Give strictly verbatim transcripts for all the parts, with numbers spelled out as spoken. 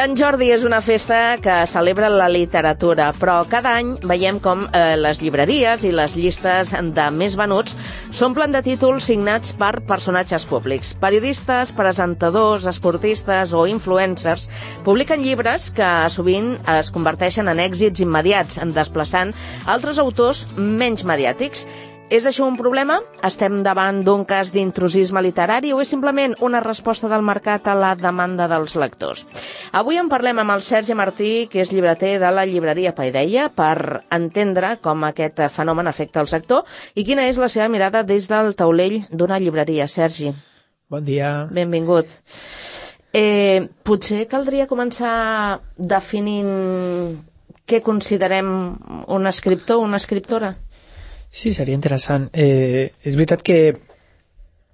Sant Jordi és una festa que celebra la literatura, però cada any veiem com eh, les llibreries i les llistes de més venuts s'omplen de títols signats per personatges públics. Periodistes, presentadors, esportistes o influencers publiquen llibres que sovint es converteixen en èxits immediats, desplaçant altres autors menys mediàtics. És això un problema? Estem davant d'un cas d'intrusisme literari o és simplement una resposta del mercat a la demanda dels lectors? Avui en parlem amb el Sergi Martí, que és llibreter de la llibreria Paideia, per entendre com aquest fenomen afecta el sector i quina és la seva mirada des del taulell d'una llibreria. Sergi. Bon dia. Benvingut. Eh, potser caldria començar definint què considerem un escriptor o una escriptora? Sí, seria interessant. Eh, és veritat que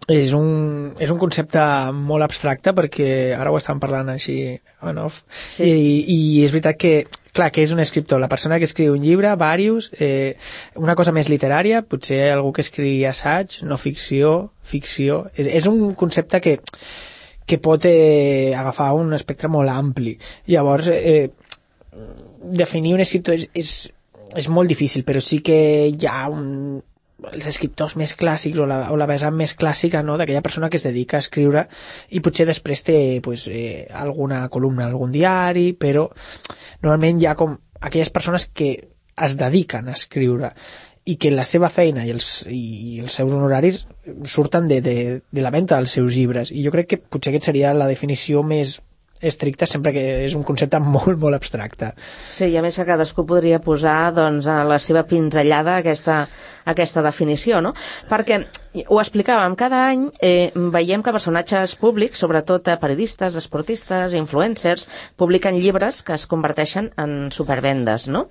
és un, és un concepte molt abstracte perquè ara ho estan parlant així on off. Sí. I, i és veritat que, clar, que és un escriptor? La persona que escriu un llibre, varios, eh, una cosa més literària, potser algú que escrigui assaig, no ficció, ficció. És, és un concepte que, que pot eh, agafar un espectre molt ampli. Llavors, eh, definir un escriptor és, és és molt difícil, però sí que hi ha un, els escriptors més clàssics o la, o la vessant més clàssica, no?, d'aquella persona que es dedica a escriure i potser després té pues, eh, alguna columna en algun diari, però normalment hi ha com aquelles persones que es dediquen a escriure i que la seva feina i els, i els seus honoraris surten de, de, de la venda dels seus llibres, i jo crec que potser aquesta seria la definició més estricta, sempre que és un concepte molt, molt abstracte. Sí, i a més que cadascú podria posar doncs, a la seva pinzellada aquesta, aquesta definició, no? Perquè, ho explicàvem, cada any eh, veiem que personatges públics, sobretot periodistes, esportistes, influencers, publiquen llibres que es converteixen en supervendes, no?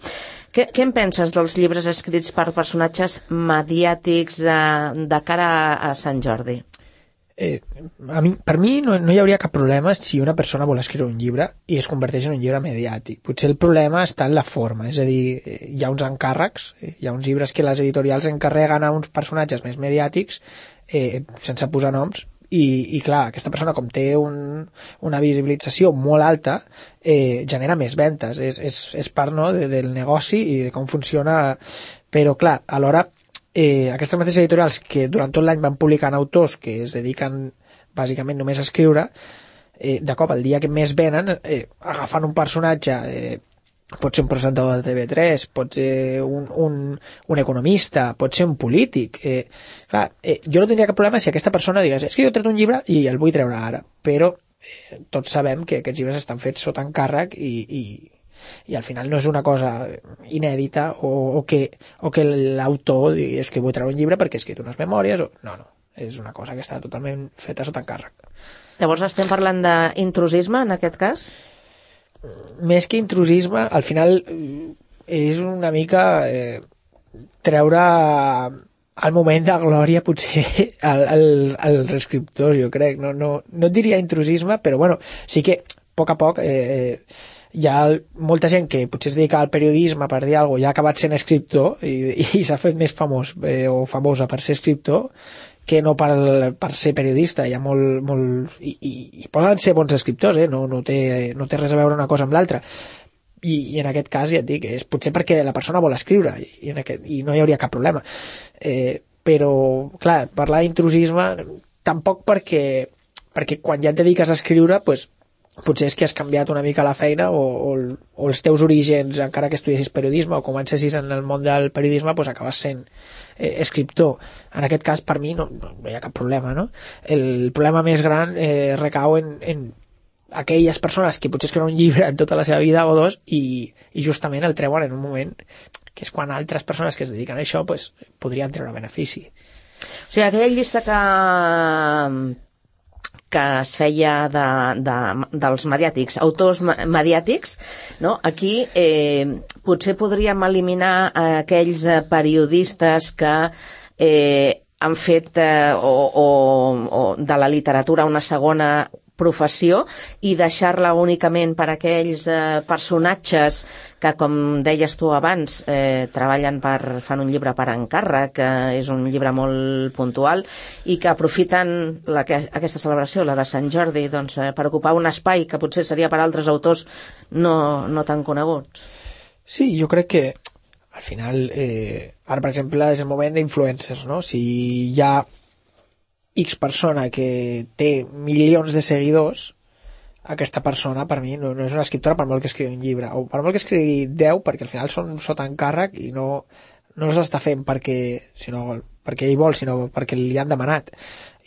Què, què en penses dels llibres escrits per personatges mediàtics eh, de cara a, a Sant Jordi? Eh, a mi, per mi no, no hi hauria cap problema si una persona vol escriure un llibre i es converteix en un llibre mediàtic. Potser el problema està en la forma, és a dir, hi ha uns encàrrecs, hi ha uns llibres que les editorials encarreguen a uns personatges més mediàtics eh, sense posar noms i, i clar, aquesta persona com té un, una visibilització molt alta eh, genera més ventes, és, és, és part, no, de, del negoci i de com funciona, però clar, alhora Eh, aquestes mateixes editorials que durant tot l'any van publicant autors que es dediquen bàsicament només a escriure, eh, de cop el dia que més venen eh, agafant un personatge, eh, pot ser un presentador de T V tres, pot ser un, un, un economista, pot ser un polític, eh, clar, eh, jo no tindria cap problema si aquesta persona digués, és que jo he tret un llibre i el vull treure ara, però eh, tots sabem que aquests llibres estan fets sota encàrrec i, i i al final no és una cosa inèdita o, o que, o que l'autor digui és que vull treure un llibre perquè he escrit unes memòries o... no, no, és una cosa que està totalment feta sota encàrrec. Llavors estem parlant d'intrusisme en aquest cas? Més que intrusisme, al final és una mica eh, treure al moment de glòria potser al, al, als escriptors, jo crec, no, no, no et diria intrusisme, però bueno, sí que a poc a poc eh, hi ha molta gent que potser es dedica al periodisme per dir alguna cosa, ja ha acabat sent escriptor i, i s'ha fet més famós eh, o famosa per ser escriptor que no per, per ser periodista. Hi ha molt, molt i, i, i poden ser bons escriptors, eh? no, no, té, no té res a veure una cosa amb l'altra. I, i en aquest cas ja et dic, és potser perquè la persona vol escriure i, i, en aquest, i no hi hauria cap problema. Eh, però, clar, parlar d'intrusisme tampoc perquè, perquè quan ja et dediques a escriure, pues, potser és que has canviat una mica la feina o, o, o els teus orígens, encara que estudiessis periodisme o comencessis en el món del periodisme, pues acabes sent eh, escriptor. En aquest cas, per mi, no, no hi ha cap problema, no? El problema més gran eh, recau en, en aquelles persones que potser escriuen un llibre en tota la seva vida o dos i, i justament el treuen en un moment que és quan altres persones que es dediquen a això pues, podrien treure benefici. O sigui, aquella llista que que es feia de, de, dels mediàtics, autors mediàtics, no? Aquí eh, potser podríem eliminar aquells periodistes que eh, han fet eh, o, o, o de la literatura una segona professió i deixar-la únicament per aquells eh, personatges que, com deies tu abans, eh, treballen per, fan un llibre per encàrrec, que és un llibre molt puntual, i que aprofiten la, que, aquesta celebració, la de Sant Jordi, doncs, eh, per ocupar un espai que potser seria per altres autors no, no tan coneguts. Sí, jo crec que al final, eh, ara per exemple és el moment d'influencers, no? Si hi ha X persona que té milions de seguidors, aquesta persona per mi no, no és una escriptora per molt que escrigui un llibre, o per molt que escrigui deu, perquè al final són sota encàrrec i no, no els està fent perquè, sinó, perquè ell vol, sinó perquè li han demanat.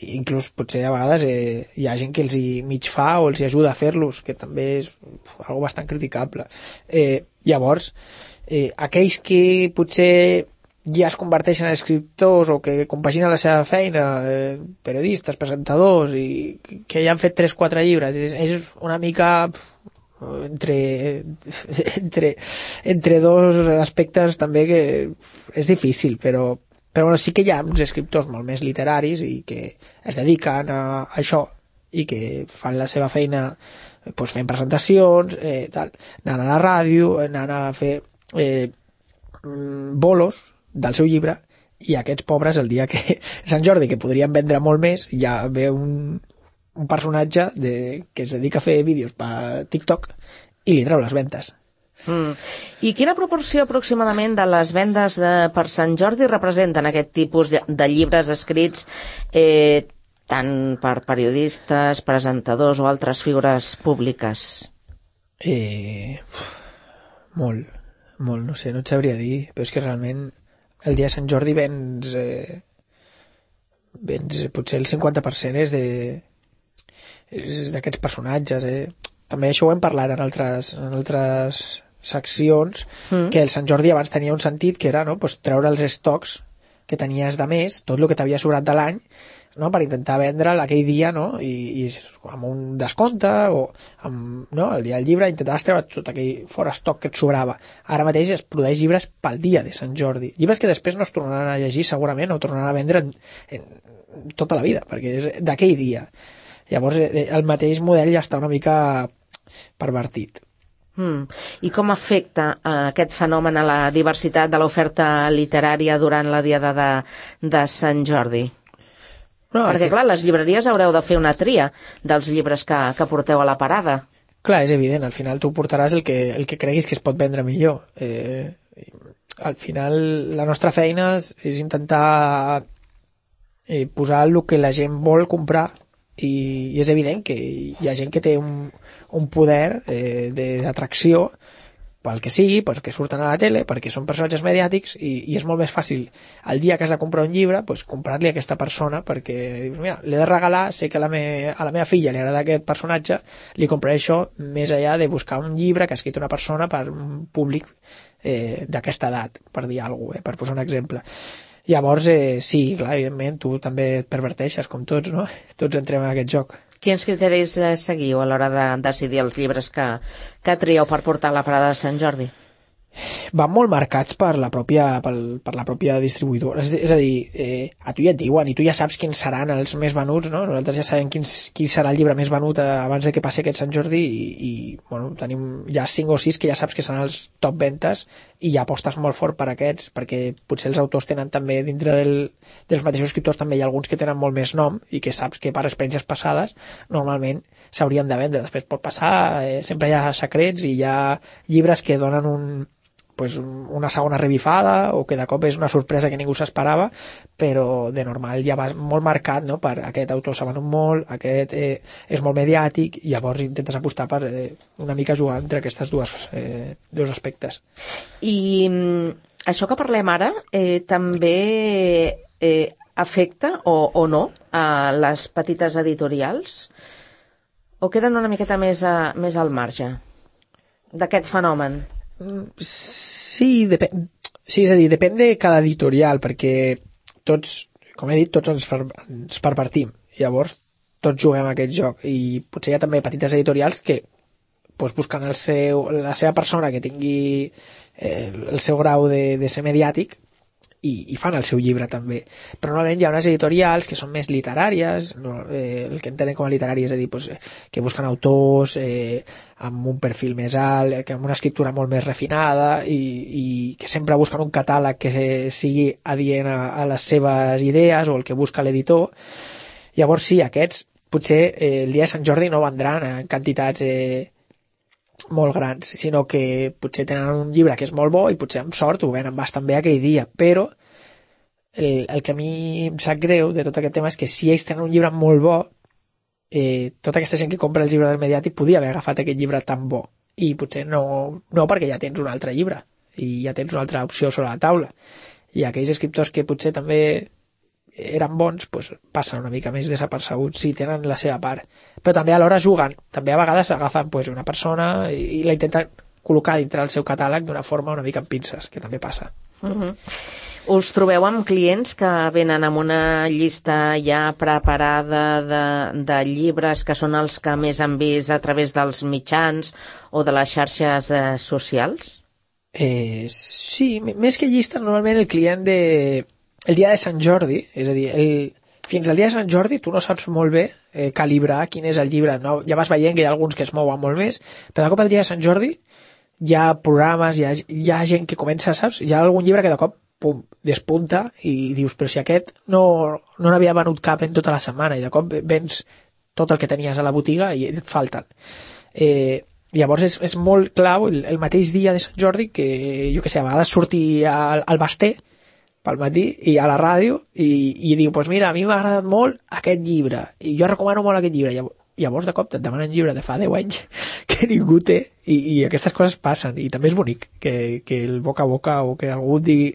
I inclús potser a vegades eh, hi ha gent que els hi mig fa o els hi ajuda a fer-los, que també és algo bastant criticable. Eh, llavors, eh, aquells que potser ja es converteixen en escriptors o que compaginen la seva feina, eh, periodistes, presentadors, i que ja han fet tres o quatre llibres, és, és una mica entre, entre, entre dos aspectes també que és difícil, però, però bueno, sí que hi ha uns escriptors molt més literaris i que es dediquen a, a això i que fan la seva feina pues, fent presentacions, eh, tal, anant a la ràdio, anant a fer eh, bolos del seu llibre, i aquests pobres el dia que Sant Jordi, que podrien vendre molt més, ja ve un, un personatge de, que es dedica a fer vídeos per TikTok i li treu les ventes. Mm. I quina proporció aproximadament de les vendes de, per Sant Jordi representen aquest tipus de, de llibres escrits eh, tant per periodistes, presentadors o altres figures públiques? Eh, molt, molt, no sé, no et sabria dir, però és que realment el dia de Sant Jordi vens, eh, vens potser el cinquanta per cent és de és d'aquests personatges, eh. També això ho hem parlat en altres, en altres seccions, mm. que el Sant Jordi abans tenia un sentit que era, no, pues, treure els estocs que tenies de més, tot el que t'havia sobrat de l'any, no, per intentar vendre'l aquell dia, no, i, i amb un descompte o amb, no, el dia del llibre intentaves treure tot aquell fora estoc que et sobrava. Ara mateix es produeix llibres pel dia de Sant Jordi, llibres que després no es tornaran a llegir segurament o tornaran a vendre en, en tota la vida, perquè és d'aquell dia. Llavors el mateix model ja està una mica pervertit. Mm. I com afecta eh, aquest fenomen a la diversitat de l'oferta literària durant la diada de, de Sant Jordi? No, perquè, clar, les llibreries haureu de fer una tria dels llibres que, que porteu a la parada. Clar, és evident, al final tu portaràs el que, el que creguis que es pot vendre millor. Eh, al final la nostra feina és, és intentar eh, posar el que la gent vol comprar, i, i és evident que hi ha gent que té un, un poder eh, d'atracció pel que sigui, perquè surten a la tele, perquè són personatges mediàtics, i, i és molt més fàcil el dia que has de comprar un llibre, pues, comprar-li a aquesta persona, perquè dius, mira, l'he de regalar, sé que a la, me, a la meva filla li agrada aquest personatge, li compraré això més enllà de buscar un llibre que ha escrit una persona per un públic eh, d'aquesta edat, per dir alguna cosa, eh, per posar un exemple. Llavors, eh, sí, clar, evidentment, tu també et perverteixes, com tots, no? Tots entrem en aquest joc. Quins criteris eh, seguiu a l'hora de decidir els llibres que, que trieu per portar a la parada de Sant Jordi? Van molt marcats per la pròpia, per, per la pròpia distribuïdora. És, és a dir, eh, a tu ja et diuen, i tu ja saps quins seran els més venuts, no? Nosaltres ja sabem quins, quin serà el llibre més venut eh, abans de que passi aquest Sant Jordi, i, i bueno, tenim ja cinc o sis que ja saps que seran els top ventes, i ja apostes molt fort per aquests, perquè potser els autors tenen també, dintre del, dels mateixos escriptors, també hi ha alguns que tenen molt més nom, i que saps que per experiències passades normalment s'haurien de vendre. Després pot passar, eh, sempre hi ha secrets, i hi ha llibres que donen un pues una segona revifada, o que de cop és una sorpresa que ningú s'esperava, però de normal ja va molt marcat, no? Per aquest autor s'ha venut molt, aquest eh, és molt mediàtic, i llavors intentes apostar per eh, una mica jugar entre aquestes dues, eh, dos aspectes. I mm, això que parlem ara eh, també eh, afecta o, o no a les petites editorials? O queden una miqueta més, a, més al marge d'aquest fenomen? Sí, depèn, sí, és a dir, depèn de cada editorial, perquè tots, com he dit, tots ens, per, ens pervertim. Llavors, tots juguem a aquest joc, i potser hi ha també petites editorials que pues, busquen el seu, la seva persona que tingui eh, el seu grau de, de ser mediàtic, i, i fan el seu llibre també. Però normalment hi ha unes editorials que són més literàries, no, eh, el que entenen com a literari és a dir, pues, que busquen autors eh, amb un perfil més alt, que amb una escriptura molt més refinada i, i que sempre busquen un catàleg que sigui adient a, a les seves idees o el que busca l'editor. Llavors sí, aquests potser eh, el dia de Sant Jordi no vendran en quantitats eh, molt grans, sinó que potser tenen un llibre que és molt bo i potser amb sort ho venen bastant bé aquell dia, però el, el que a mi em sap greu de tot aquest tema és que si ells tenen un llibre molt bo, eh, tota aquesta gent que compra els llibres del Mediàtic podia haver agafat aquest llibre tan bo i potser no, no perquè ja tens un altre llibre i ja tens una altra opció sobre la taula, i aquells escriptors que potser també eren bons, pues, passen una mica més desapercebuts, sí, tenen la seva part, però també alhora juguen, també a vegades agafen pues, una persona i, i la intenten col·locar dintre del seu catàleg d'una forma una mica amb pinces, que també passa. Uh-huh. Us trobeu amb clients que venen amb una llista ja preparada de, de llibres que són els que més han vist a través dels mitjans o de les xarxes eh, socials? Eh, sí, més que llistes, normalment el client de el dia de Sant Jordi, és a dir, el, fins al dia de Sant Jordi tu no saps molt bé eh, calibrar quin és el llibre, no? Ja vas veient que hi ha alguns que es mouen molt més, però de cop el dia de Sant Jordi hi ha programes, hi ha, hi ha gent que comença, saps? Hi ha algun llibre que de cop pum, despunta i dius, però si aquest no no n'havia venut cap en tota la setmana i de cop vens tot el que tenies a la botiga i et falten. Eh, llavors és, és molt clau el, el mateix dia de Sant Jordi que, jo què sé, a vegades sortir al, al Basté pel matí i a la ràdio i, i diu, pues mira, a mi m'ha agradat molt aquest llibre i jo recomano molt aquest llibre. Llavors de cop et demanen llibre de fa deu anys que ningú té i, i aquestes coses passen i també és bonic que, que el boca a boca o que algú et digui,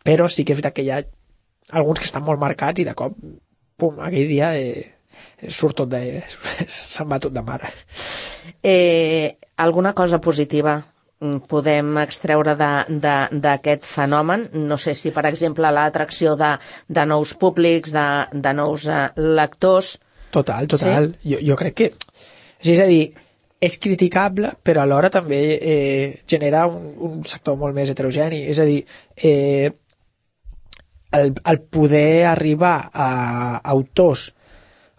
però sí que és veritat que hi ha alguns que estan molt marcats i de cop, pum, aquell dia eh, surt tot de... se'n va tot de mare. Eh, alguna cosa positiva podem extreure d'aquest fenomen? No sé si, per exemple, l'atracció de, de nous públics, de, de nous uh, lectors... Total, total. Sí? Jo, jo crec que... És a dir, és criticable, però alhora també eh, genera un, un sector molt més heterogeni. És a dir, eh, el, el poder arribar a autors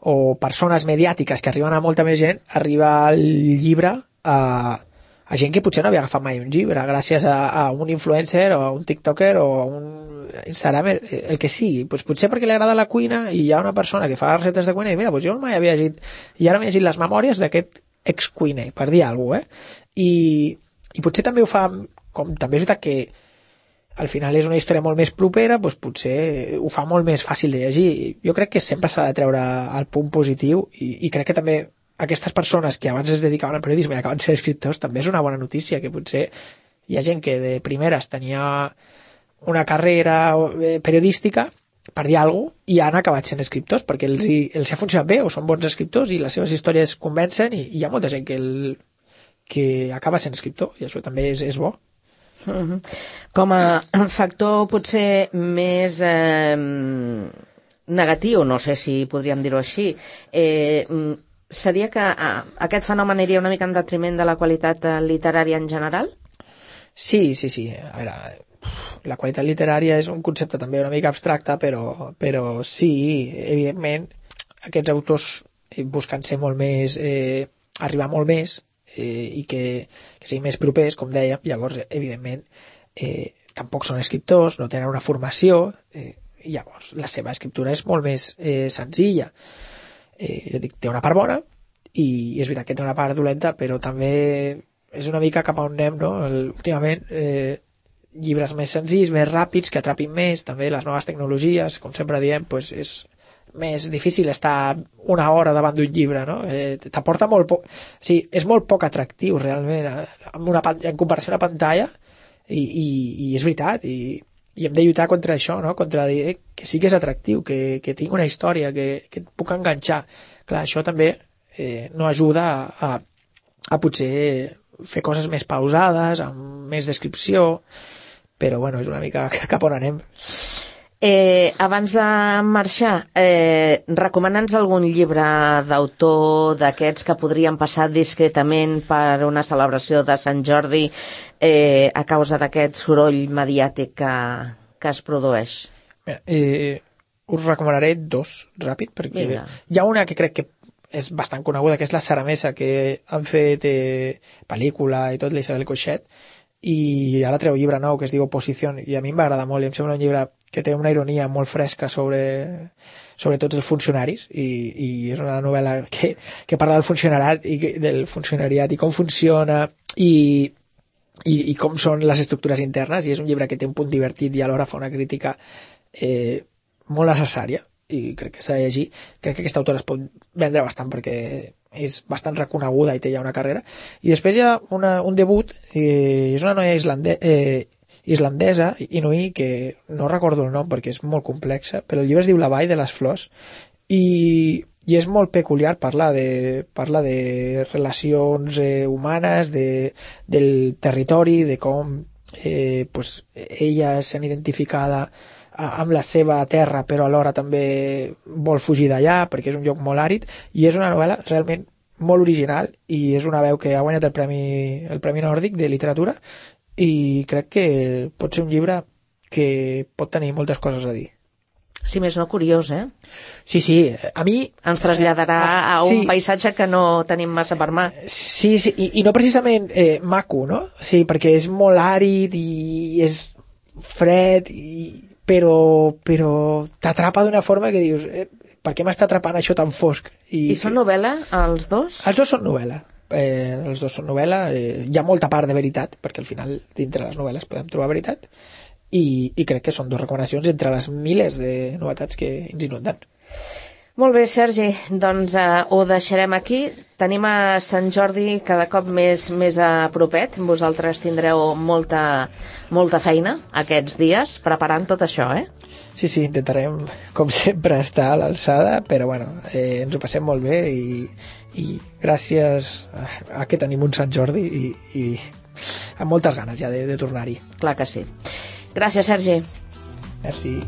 o persones mediàtiques que arriben a molta més gent, arriba el llibre a... a gent que potser no havia agafat mai un llibre gràcies a, a un influencer o a un tiktoker o a un Instagram, el, el que sigui, pues potser perquè li agrada la cuina i hi ha una persona que fa receptes de cuina i mira, pues jo mai havia llegit i ara m'he llegit les memòries d'aquest ex-cuiner, per dir alguna cosa, eh? I, i potser també ho fa, com també és veritat que al final és una història molt més propera, doncs potser ho fa molt més fàcil de llegir. Jo crec que sempre s'ha de treure el punt positiu i, i crec que també aquestes persones que abans es dedicaven al periodisme i acaben sent escriptors també és una bona notícia, que potser hi ha gent que de primeres tenia una carrera periodística, per dir alguna cosa, i han acabat sent escriptors perquè els, hi, els ha funcionat bé o són bons escriptors i les seves històries convencen i, i hi ha molta gent que, el, que acaba sent escriptor i això també és, és bo. Uh-huh. Com a factor potser més eh, negatiu, no sé si podríem dir-ho així, eh, seria que ah, aquest fenomen aniria una mica en detriment de la qualitat literària en general? Sí, sí, sí. A veure, la qualitat literària és un concepte també una mica abstracte, però, però sí, evidentment, aquests autors busquen ser molt més, eh, arribar molt més eh, i que, que siguin més propers, com dèiem. Llavors, evidentment, eh, tampoc són escriptors, no tenen una formació, eh, i llavors la seva escriptura és molt més eh, senzilla. Eh, jo dic, té una part bona i és veritat que té una part dolenta, però també és una mica cap a on anem, no? El, últimament eh, llibres més senzills, més ràpids, que atrapin més, també les noves tecnologies, com sempre diem, pues és més difícil estar una hora davant d'un llibre, no? Eh, t'aporta molt poc, o sigui, és molt poc atractiu realment en, una, en comparació a la pantalla i, i, i és veritat i i hem de lluitar contra això, no? Contra dir eh, que sí que és atractiu, que, que tingui una història, que, que et puc enganxar. Clar, això també eh, no ajuda a, a, a potser fer coses més pausades, amb més descripció, però bueno, és una mica cap on anem. Eh, abans de marxar, eh, recomana'ns algun llibre d'autor d'aquests que podrien passar discretament per una celebració de Sant Jordi eh, a causa d'aquest soroll mediàtic que, que es produeix? Mira, eh, us recomanaré dos, ràpid, perquè Vinga. hi ha una que crec que és bastant coneguda, que és la Sara Mesa, que han fet eh, pel·lícula i tot, l'Isabel Coixet, i ara treu llibre nou que es diu Oposició, i a mi em va agradar molt, i em sembla un llibre que té una ironia molt fresca sobre, sobre tots els funcionaris, i, i és una novel·la que, que parla del funcionariat i que- del funcionariat i com funciona i, i, i com són les estructures internes, i és un llibre que té un punt divertit i alhora fa una crítica eh, molt necessària, i crec que s'ha de llegir. Crec que aquesta autora es pot vendre bastant perquè és bastant reconeguda i té ja una carrera. I després hi ha una, un debut, eh, és una noia islande, eh, islandesa, Inuí, que no recordo el nom perquè és molt complexa, però el llibre es diu La vall de les flors, i, i és molt peculiar, parlar de, parla de relacions eh, humanes, de, del territori, de com eh, pues, ella s'han identificada a- amb la seva terra, però alhora també vol fugir d'allà perquè és un lloc molt àrid, i és una novel·la realment molt original, i és una veu que ha guanyat el Premi, el Premi Nòrdic de Literatura, i crec que pot ser un llibre que pot tenir moltes coses a dir. Si més no, curiós, eh? Sí, sí, a mi... Ens traslladarà a un Sí. paisatge que no tenim massa per mà. Sí, sí, i, i no precisament eh, maco, no? Sí, perquè és molt àrid i és fred, i, però, però t'atrapa d'una forma que dius, eh, per què m'està atrapant això tan fosc? I són novel·la, els dos? Els dos són novel·la. Eh, els dos són novel·la. Eh, hi ha molta part de veritat, perquè al final dintre les novel·les podem trobar veritat, i, i crec que són dues recomanacions entre les milers de novetats que ens inunden. Molt bé, Sergi, doncs eh, ho deixarem aquí. Tenim a Sant Jordi cada cop més, més a propet. Vosaltres tindreu molta, molta feina aquests dies preparant tot això, eh? Sí, sí, intentarem, com sempre, estar a l'alçada, però bueno, eh, ens ho passem molt bé, i, i gràcies a, a que tenim un Sant Jordi i, i amb moltes ganes ja de, de tornar-hi. Clar que sí. Gràcies, Sergi. Merci.